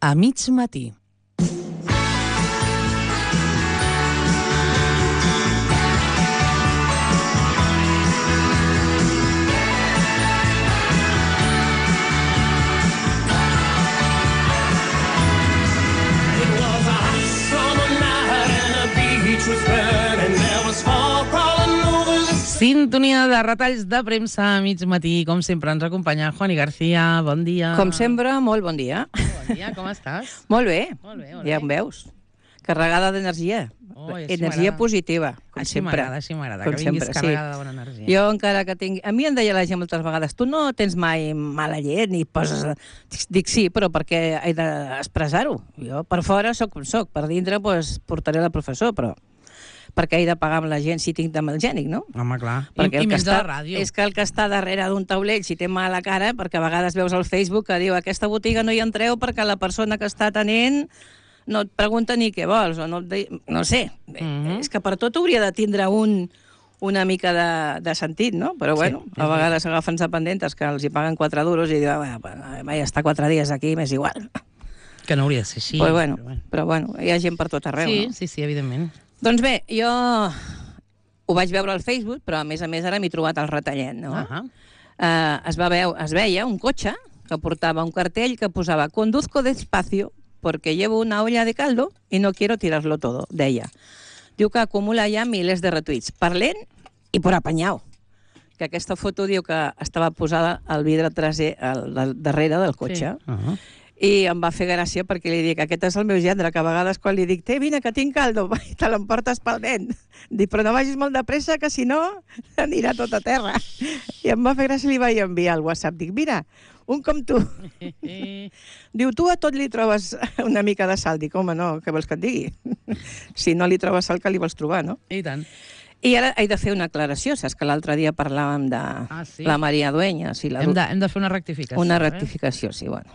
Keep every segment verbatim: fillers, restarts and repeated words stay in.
A mig matí. Sintonia de retalls de premsa a mig matí. Com sempre ens acompanya Juani García. Bon dia. Com sempre, molt bon dia. Bon dia, com estàs? Molt bé. Molt bé, molt Ja bé. em veus. Carregada d'energia. Oh, així Energia m'agrada. positiva, com Així sempre. m'agrada, així m'agrada, Com que vinguis sempre, carregada sí. de bona energia. Jo encara que tinc... A mi em deia la gent moltes vegades, tu no tens mai mala llet ni poses... Dic sí, però perquè he d'expressar-ho. Jo per fora sóc com sóc, per dintre pues, portaré la professor, però perquè he de pagar amb la gent si tinc mal gènic, no? Home, clar. Perquè I, i el que menys està, a la ràdio. és que el que està darrere d'un taulell, si té mal a la cara, perquè a vegades veus al Facebook que diu aquesta botiga no hi entreu perquè la persona que està atenent no et pregunta ni què vols, o no, et de... no sé. Mhm. És que per tot hauria de tindre un, una mica de, de sentit, no? Però bueno, Sí, a vegades agafen dependentes que els hi paguen quatre duros i diuen, vaja, estar quatre dies aquí m'és igual. Que no hauria de ser així. Però bueno, però bueno, hi ha gent per tot arreu, Sí, no? sí, sí, evidentment. Doncs bé, jo ho vaig veure al Facebook, però a més a més ara m'he trobat el retallet, no? Ahà. Eh, es, va veu, es veia un cotxe que portava un cartell que posava «Conduzco despacio porque llevo una olla de caldo y no quiero tirarlo todo», deia. Diu que acumula ja milers de retuits, per lent i per apanyau. Que aquesta foto diu que estava posada al vidre traser, al, al darrere del cotxe. Sí. Uh-huh. I em va fer gràcia perquè li dic, aquest és el meu gendre, que a vegades quan li dic, té, vine, que tinc caldo, i te l'emportes pel dent. Dic, però no vagis molt de pressa, que si no anirà tot a terra. I em va fer gràcia i li vaig enviar al WhatsApp. Dic, mira, un com tu. Diu, tu a tot li trobes una mica de sal. Dic, home, no, què vols que et digui? Si no li trobes sal, que li vols trobar, no? I tant. I ara he de fer una aclaració. Saps que l'altre dia parlàvem de Ah, sí? la Maria Dueñas. I la... Hem de, hem de fer una rectificació. Una eh? rectificació, sí, bueno.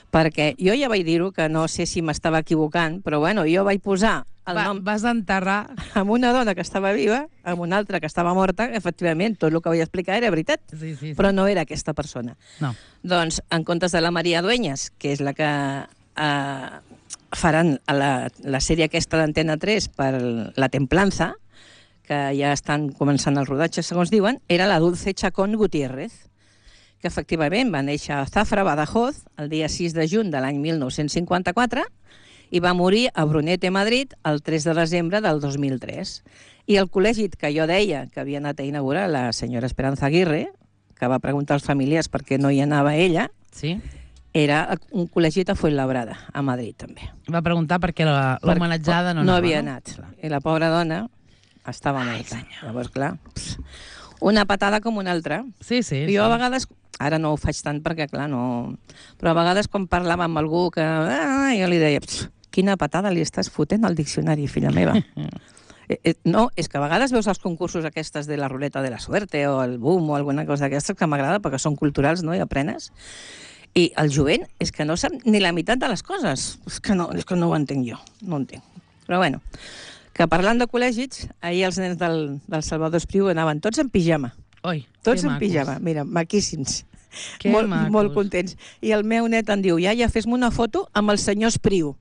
Perquè jo ja vaig dir-ho, que no sé si m'estava equivocant, però bueno, jo vaig posar el Va, nom vas enterrar... amb una dona que estava viva, amb una altra que estava morta, efectivament, tot el que vaig explicar era veritat, Sí, sí, sí. però no era aquesta persona. No. Doncs, en comptes de la Maria Dueñas, que és la que eh, faran a la, la sèrie aquesta d'Antena tres per La Templanza, que ja estan començant el rodatge, segons diuen, era la Dulce Chacón Gutiérrez, que efectivament va néixer a Zafra, Badajoz, el dia sis de juny de l'any mil nou-cents cinquanta-quatre, i va morir a Brunete, Madrid, el tres de desembre del dos mil tres. I el col·legi que jo deia que havia anat a inaugurar la senyora Esperanza Aguirre, que va preguntar als familiars per què no hi anava ella, Sí? era un col·legi a Fuenlabrada, a Madrid també. Va preguntar per què la- Per- l'homenatjada no, no anava, havia anat. I la pobra dona estava morta. Llavors, clar, pss, una patada com una altra. Sí, sí. Jo sí. a vegades, ara no ho faig tant perquè, clar, no... Però a vegades quan parlava amb algú que... Ah, jo li deia, quina patada li estàs fotent al diccionari, filla meva. eh, eh, no, és que a vegades veus els concursos aquestes de la ruleta de la suerte o el boom o alguna cosa d'aquestes que m'agrada perquè són culturals, no?, i aprenes. I el jovent és que no sap ni la meitat de les coses. És que no, és que no ho entenc jo, no ho entenc. Però bueno, que parlant de col·legis, ahir els nens del, del Salvador Espriu anaven tots en pijama. Oi, Tots que en macos. pijama, mira, maquíssims. Que molt, macos. molt contents. I el meu net em diu, iaia, fes-me una foto amb el senyor Espriu,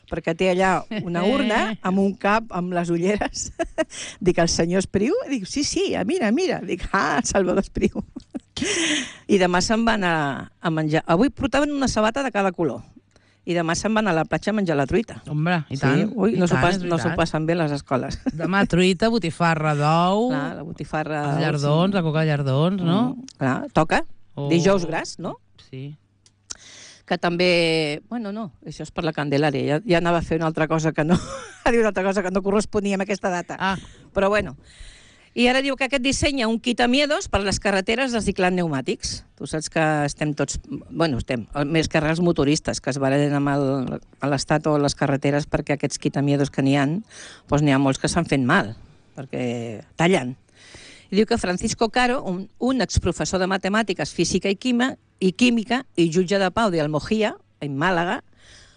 perquè té allà una urna amb un cap, amb les ulleres. Dic, el senyor Espriu? Dic, sí, sí, mira, mira. Dic, ah, Salvador Espriu. I demà se'n van a, a menjar. Avui portaven una sabata de cada color. I demà se'n van a la platja a menjar la truita. Hombre, i tant. Sí, ui, i no s'ho tant, pas, és no s'ho veritat. passen bé a les escoles. Demà truita, botifarra d'ou, Clar, la botifarra... els llardons, la coca de llardons, no? Mm, clar, toca. Oh. Dijous gras, no? Sí. Que també... Bueno, no, això és per la Candelària. Ja, ja anava a fer una altra cosa que no... a dir una altra cosa que no corresponia amb aquesta data. Ah, Però bueno. I ara diu que aquest dissenya un quitamiedos per les carreteres reciclant pneumàtics. Tu saps que estem tots... Bueno, estem, més que res els motoristes, que es barallen amb el- a l'Estat o les carreteres perquè aquests quitamiedos que n'hi ha, doncs n'hi ha molts que s'han fet mal, perquè tallen. I diu que Francisco Caro, un, un exprofessor de matemàtiques, física i, quima, i química i jutge de pau de Almojía, en Màlaga,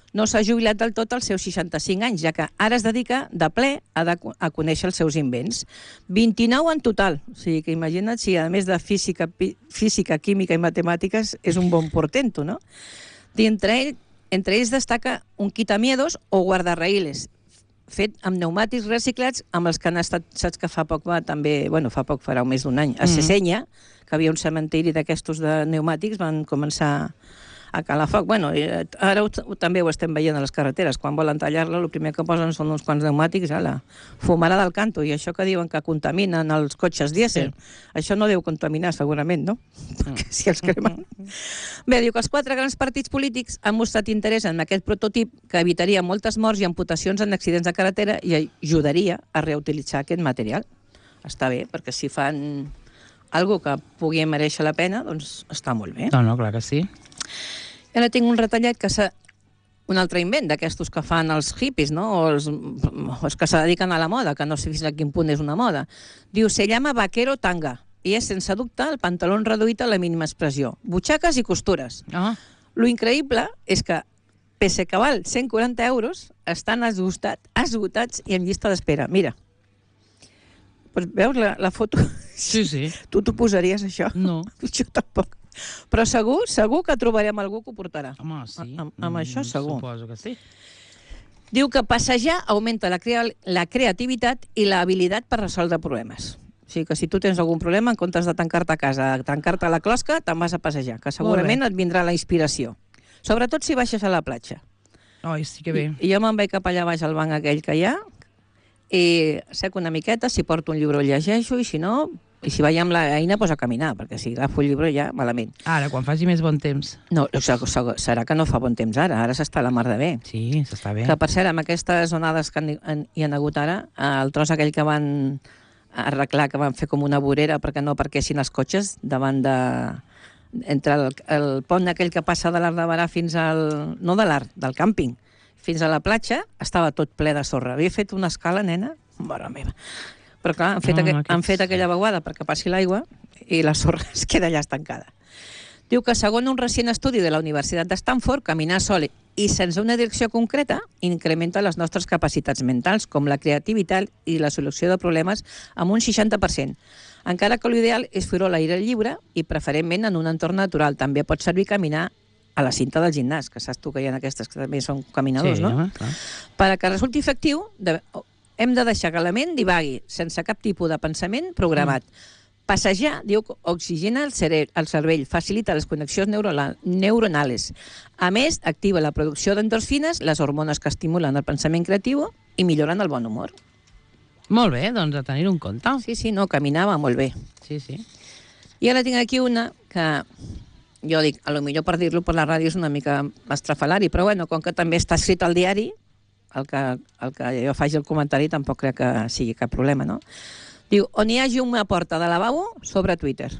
no s'ha jubilat del tot als seus seixanta-cinc anys, ja que ara es dedica de ple a, de, a conèixer els seus invents. vint-i-nou en total. O sigui que imagina't si, a més de física, pi, física, química i matemàtiques, és un bon portento, no? Dintre ell entre ells destaca un quitamiedos o guardarraïles, fet amb pneumàtics reciclats, amb els que han estat, saps que fa poc va també, bueno, fa poc, farà un més d'un any, a Sesenya, que havia un cementiri d'aquestos de pneumàtics, van començar a calar foc. Bueno, ara ho, ho, també ho estem veient a les carreteres. Quan volen tallar-la, el primer que posen són uns quants pneumàtics, a la fumara del canto, i això que diuen que contaminen els cotxes dièsel, sí. Això no deu contaminar, segurament, no? Perquè si els cremen... Bé, diu que els quatre grans partits polítics han mostrat interès en aquest prototip que evitaria moltes morts i amputacions en accidents de carretera i ajudaria a reutilitzar aquest material. Està bé, perquè si fan algo que pugui mereixer la pena, doncs està molt bé. No, no, clar que sí. Ara tinc un retallet que s'ha... un altre invent d'aquestos que fan els hippies, no? O els, o els que se dediquen a la moda, que no sé fins a quin punt és una moda. Diu, se llama vaquero tanga, i és, sense dubte, el pantaló reduït a la mínima expressió. Butxaques i costures. Ah. Lo increïble és que, pese que val cent quaranta euros, estan esgotat, esgotats i en llista d'espera. Mira. Pues veus la, la foto? Sí, sí. Tu t'ho posaries, això? No. Jo tampoc. Però segur, segur que trobarem algú que ho portarà. Home, sí. Amb, amb mm, això segur. Suposo que sí. Diu que passejar augmenta la, crea la creativitat i l'habilitat per resoldre problemes. O sigui que si tu tens algun problema, en comptes de tancar-te a casa, tancar-te a la closca, te'n vas a passejar, que segurament et vindrà la inspiració. Sobretot si baixes a la platja. Ai, sí que bé. I, i jo me'n vaig cap allà baix al banc aquell que hi ha, i sec una miqueta, si porto un llibre el llegeixo, i si no... I si vaig amb l'eina, doncs a caminar, perquè si agafo el llibre ja, malament. Ara, quan faci més bon temps. No, serà que no fa bon temps ara, ara s'està la mar de bé. Sí, s'està bé. Que, per cert, amb aquestes onades que hi ha hagut ara, el tros aquell que van arreglar, que van fer com una vorera perquè no aparquessin els cotxes davant de... entre el, el pont aquell que passa de l'Arc de Barà fins al... no de l'Arc, del càmping, fins a la platja, estava tot ple de sorra. Havia fet una escala, nena, mare meva. Però clar, han fet, no, aqu aquests... han fet aquella vaguada perquè passi l'aigua i la sorra es queda allà estancada. Diu que, segons un recent estudi de la Universitat de Stanford, caminar sol i sense una direcció concreta incrementa les nostres capacitats mentals, com la creativitat i la solució de problemes, amb un seixanta per cent. Encara que l'ideal és fer-ho a l'aire lliure i preferentment en un entorn natural. També pot servir caminar a la cinta del gimnàs, que saps tu que hi ha aquestes que també són caminadors, sí, no? Home, clar. Per a que resulti efectiu... De... hem de deixar que la ment divagui, sense cap tipus de pensament programat. Mm. Passejar, diu, oxigena el, el cervell, facilita les connexions neuronals. A més, activa la producció d'endorfines, les hormones que estimulen el pensament creatiu i milloren el bon humor. Molt bé, doncs a tenir un compte. Sí, sí, no, caminava molt bé. Sí, sí. I ara tinc aquí una que... jo dic, a lo millor per dir-lo per la ràdio és una mica estrafalari, però bueno, com que també està escrit al diari, el que, el que jo faig el comentari tampoc crec que sigui cap problema, no? Diu, on hi hagi una porta de lavabo, sobre Twitter.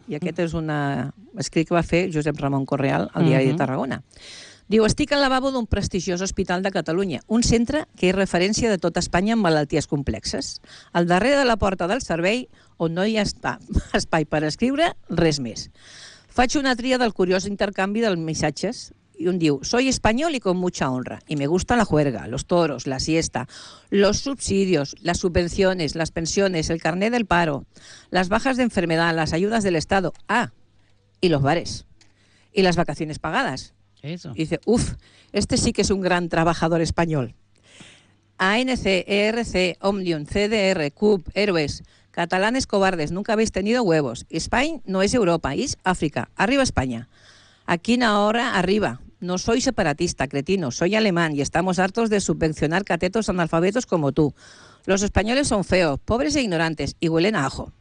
I aquest és un escrit que va fer Josep Ramon Correal al Diari de Tarragona. Diu, estic al lavabo d'un prestigiós hospital de Catalunya, un centre que és referència de tota Espanya en malalties complexes. Al darrere de la porta del servei, on no hi ha espai per escriure, res més. Faig una tria del curiós intercanvi dels missatges y un diu, soy español y con mucha honra, y me gusta la juerga, los toros, la siesta, los subsidios, las subvenciones, las pensiones, el carnet del paro, las bajas de enfermedad, las ayudas del Estado, ah, y los bares, y las vacaciones pagadas. Eso. Y dice, uff, este sí que es un gran trabajador español. A N C, E R C, Omnium, C D R, C U P, Héroes, catalanes cobardes, nunca habéis tenido huevos. España no es Europa, es África. Arriba España. Aquí ahora arriba. No soy separatista, cretino, soy alemán y estamos hartos de subvencionar catetos analfabetos como tú. Los españoles son feos, pobres e ignorantes y huelen a ajo.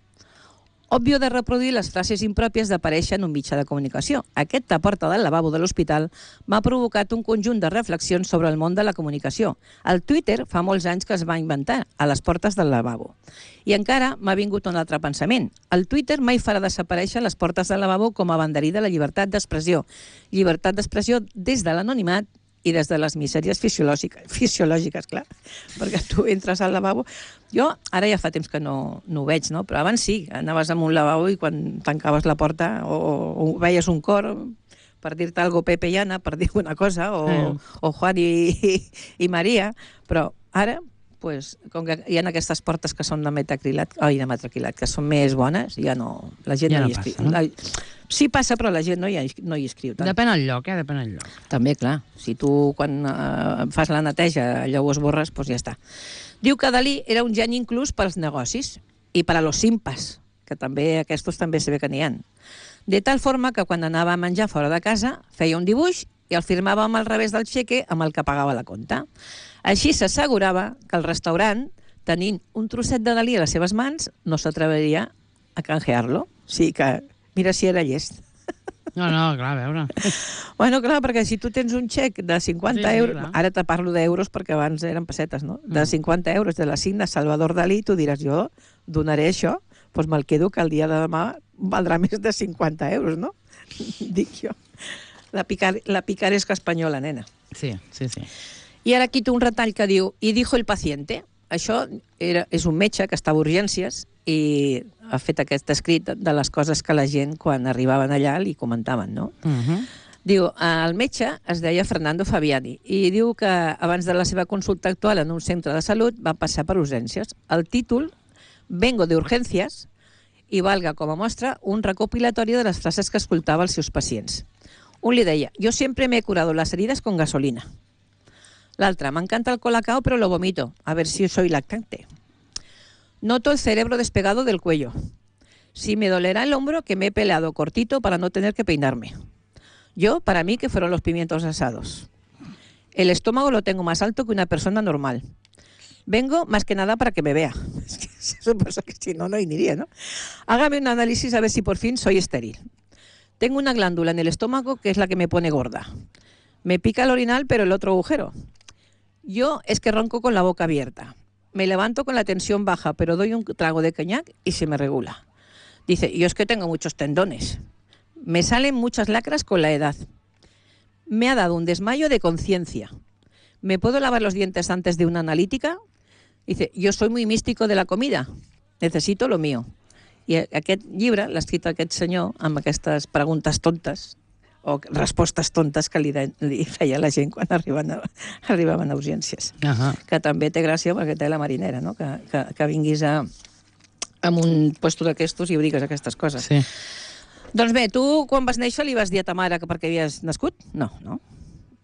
Òbvio de reproduir les frases impròpies d'aparèixer en un mitjà de comunicació. Aquesta porta del lavabo de l'hospital m'ha provocat un conjunt de reflexions sobre el món de la comunicació. El Twitter fa molts anys que es va inventar, a les portes del lavabo. I encara m'ha vingut un altre pensament. El Twitter mai farà desaparèixer les portes del lavabo com a banderí de la llibertat d'expressió. Llibertat d'expressió des de l'anonimat i des de les misèries fisiològiques, fisiològiques, clar, perquè tu entres al lavabo... Jo ara ja fa temps que no, no ho veig, no? Però abans sí, anaves amb un lavabo i quan tancaves la porta o, o veies un cor per dir-te algo Pepe i Anna, per dir una cosa, o, mm. o Juan i, i, i Maria, però ara pues, com que hi ha aquestes portes que són de metacrilat, ai, de metacrilat, que són més bones, ja no... La gent Ja no no hi escriu. passa, no? La, sí passa, però la gent no hi, no hi escriu tant. Depèn del lloc, eh? Depèn del lloc. També, clar. Si tu, quan eh, fas la neteja, allò ho esborres, doncs ja està. Diu que Dalí era un geni inclús pels negocis i per a los simpas, que també aquests també se ve que n'hi ha. De tal forma que quan anava a menjar fora de casa feia un dibuix i el firmava amb el revés del xeque amb el que pagava la compta. Així s'assegurava que el restaurant, tenint un trosset de Dalí a les seves mans, no s'atreviria a canjear-lo. O sigui que, mira si era llest. No, no, clar, a veure. Bueno, clar, perquè si tu tens un xec de cinquanta Sí, sí, euros, clar. ara te parlo d'euros perquè abans eren pessetes, no? De Mm. cinquanta euros de la signa Salvador Dalí, tu diràs, jo donaré això, doncs me'l quedo que el dia de demà valdrà més de cinquanta euros, no? Dic jo. La, picar, la picaresca espanyola, nena. Sí, sí, sí. I ara aquí té un retall que diu, i dijo el paciente. Això era, és un metge que estava a urgències i ha fet aquest escrit de les coses que la gent, quan arribaven allà, li comentaven, no? Uh -huh. Diu, el metge es deia Fernando Fabiani i diu que abans de la seva consulta actual en un centre de salut va passar per urgències. El títol, Vengo de urgències, i valga com a mostra un recopilatori de les frases que escoltava als seus pacients. Un li deia, yo siempre me he curado las heridas con gasolina. L'altre, me encanta el colacao pero lo vomito, a ver si soy lactante. Noto el cerebro despegado del cuello. Si me dolerá el hombro que me he peleado cortito para no tener que peinarme. Yo, para mí, que fueron los pimientos asados. El estómago lo tengo más alto que una persona normal. Vengo más que nada para que me vea. Es que eso pasa que si no, no iría, ¿no? Hágame un análisis a ver si por fin soy estéril. Tengo una glándula en el estómago que es la que me pone gorda. Me pica el orinal, pero el otro agujero. Yo es que ronco con la boca abierta. Me levanto con la tensión baja, pero doy un trago de coñac y se me regula. Dice, yo es que tengo muchos tendones. Me salen muchas lacras con la edad. Me ha dado un desmayo de conciencia. ¿Me puedo lavar los dientes antes de una analítica? Dice, yo soy muy místico de la comida. Necesito lo mío. I aquest llibre l'ha escrit aquest senyor amb aquestes preguntes tontes o respostes tontes que li, de, li feia la gent quan arribaven a, arribaven a urgències. Uh -huh. Que també té gràcia perquè té la marinera, no? que, que, que vinguis a, a un puesto d'aquestos i ho digues aquestes coses. Sí. Doncs bé, tu quan vas néixer li vas dir a ta mare que perquè havies nascut? No, no.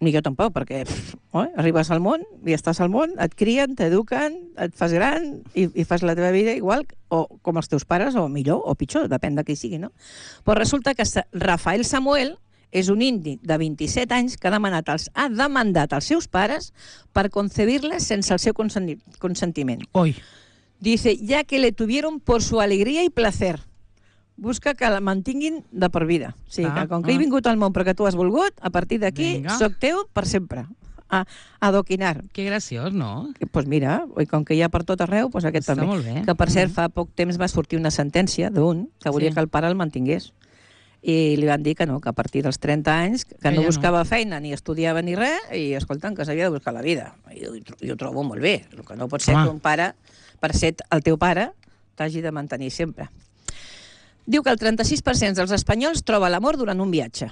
Ni jo tampoc, perquè pff, oi, arribes al món i estàs al món, et crien, t'eduquen, et fas gran i, i fas la teva vida igual o com els teus pares, o millor o pitjor, depèn de qui sigui, no? Però resulta que Rafael Samuel és un indi de vint-i-set anys que ha demanat als, ha demandat als seus pares per concebir-les sense el seu consentiment. Oi. Dice, ya que le tuvieron por su alegría y placer. Busca que la mantinguin de per vida. O sigui, Ah, que com que ah. he vingut al món perquè tu has volgut, a partir d'aquí Vinga. soc teu per sempre. A, a adoquinar. Que graciós, no? Doncs pues mira, i com que hi ha per tot arreu, pues aquest Està també. molt bé. Que per cert, Mm. fa poc temps va sortir una sentència d'un que volia Sí. que el pare el mantingués. I li van dir que no, que a partir dels trenta anys, que Que no ja no. buscava feina ni estudiava ni res, i escolta'm, que s'havia de buscar la vida. I jo, jo ho trobo molt bé. El que no pot ser Home. que un pare, per ser el teu pare, t'hagi de mantenir sempre. Diu que el trenta-sis per cent dels espanyols troba l'amor durant un viatge.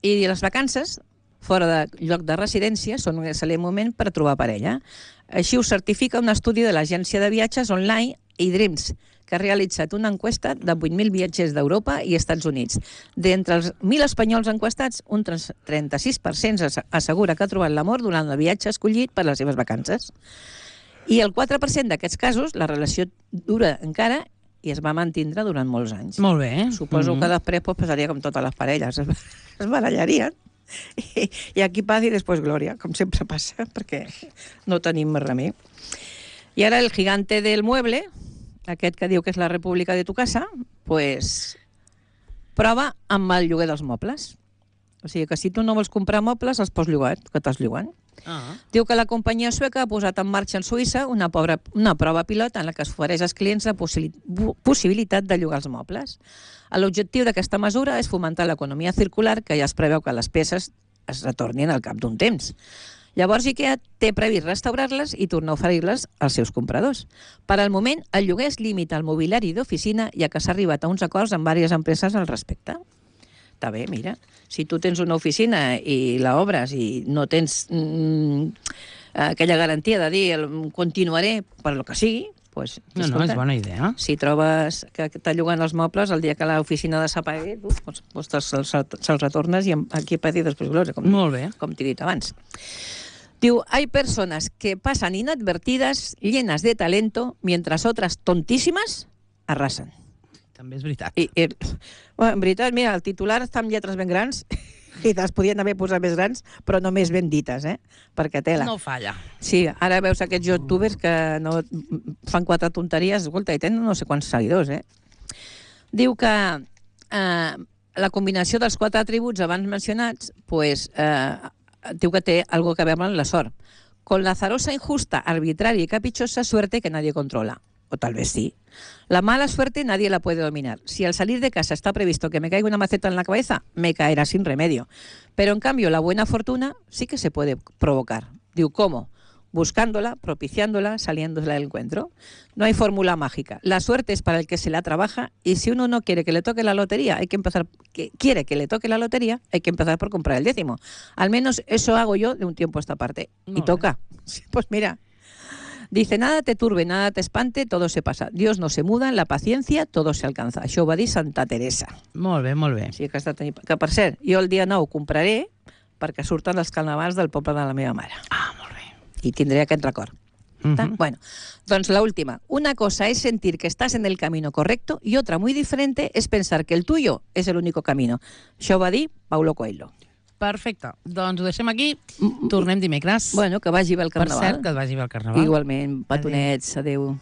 I les vacances, fora de lloc de residència, són un excel·lent moment per trobar parella. Així ho certifica un estudi de l'agència de viatges online iDreams, que ha realitzat una enquesta de vuit mil viatgers d'Europa i Estats Units. D'entre els mil espanyols enquestats, un trenta-sis per cent assegura que ha trobat l'amor durant el viatge escollit per les seves vacances. I el quatre per cent d'aquests casos, la relació dura encara i es va mantindre durant molts anys. Molt bé. Suposo Mm. que després pues, passaria com totes les parelles, es, es barallarien. I, I aquí paz i després glòria, com sempre passa, perquè no tenim més remei. I ara el gigante del mueble, aquest que diu que és la república de tu casa, pues, prova amb el lloguer dels mobles. O sigui que si tu no vols comprar mobles, els pots llogar, que t'has llogant. Ah. Diu que la companyia sueca ha posat en marxa en Suïssa una, pobra, una prova pilot en la que es ofereix als clients la possi possibilitat de llogar els mobles. L'objectiu d'aquesta mesura és fomentar l'economia circular, que ja es preveu que les peces es retornin al cap d'un temps. Llavors IKEA té previst restaurar-les i tornar a oferir-les als seus compradors. Per al moment, el lloguer es limita al mobiliari d'oficina, ja que s'ha arribat a uns acords amb diverses empreses al respecte. Està bé, mira. Si tu tens una oficina i la obres i no tens mm, aquella garantia de dir el, continuaré per lo que sigui, pues, No, no, escolta, és bona idea. si trobes que t'ha llogant els mobles, el dia que l'oficina de s'apagui, tu pues, pues se'ls se retornes i aquí a patir després gloria, com, Molt bé. com t'he dit abans. Diu, hay personas que pasan inadvertidas, llenas de talento, mientras otras tontísimas arrasan. També és veritat. I, i, bueno, en veritat, mira, el titular està amb lletres ben grans i les podien haver posat més grans, però només ben dites, eh? Perquè tela. No falla. Sí, ara veus aquests youtubers que no fan quatre tonteries, escolta, i tenen no sé quants seguidors, eh? Diu que eh, la combinació dels quatre atributs abans mencionats, pues, eh, diu que té algo que veure amb la sort. Con la azarosa, injusta, arbitraria y caprichosa suerte que nadie controla. O tal vez sí. La mala suerte nadie la puede dominar. Si al salir de casa está previsto que me caiga una maceta en la cabeza, me caerá sin remedio. Pero en cambio la buena fortuna sí que se puede provocar. Digo, ¿cómo? Buscándola, propiciándola, saliéndola del encuentro. No hay fórmula mágica. La suerte es para el que se la trabaja y si uno no quiere que le toque la lotería, hay que empezar, que quiere que le toque la lotería, hay que empezar por comprar el décimo. Al menos eso hago yo de un tiempo a esta parte. Muy y toca. Sí, pues mira. Dice, nada te turbe, nada te espante, todo se pasa. Dios no se muda, en la paciencia todo se alcanza. Això ho va dir Santa Teresa. Molt bé, molt bé. Sí, que, està tenint... que per cert, jo el dia nou compraré perquè surten els carnavals del poble de la meva mare. Ah, molt bé. I tindré aquest record. Uh -huh. Bueno, doncs la última. Una cosa es sentir que estás en el camino correcto y otra muy diferente es pensar que el tuyo es el único camino. Això ho va dir Paulo Coelho. Perfecte. Doncs ho deixem aquí. Tornem dimecres. Bueno, que vagi bé el Per carnaval. cert, que et vagi bé el carnaval. Igualment, petonets, adéu.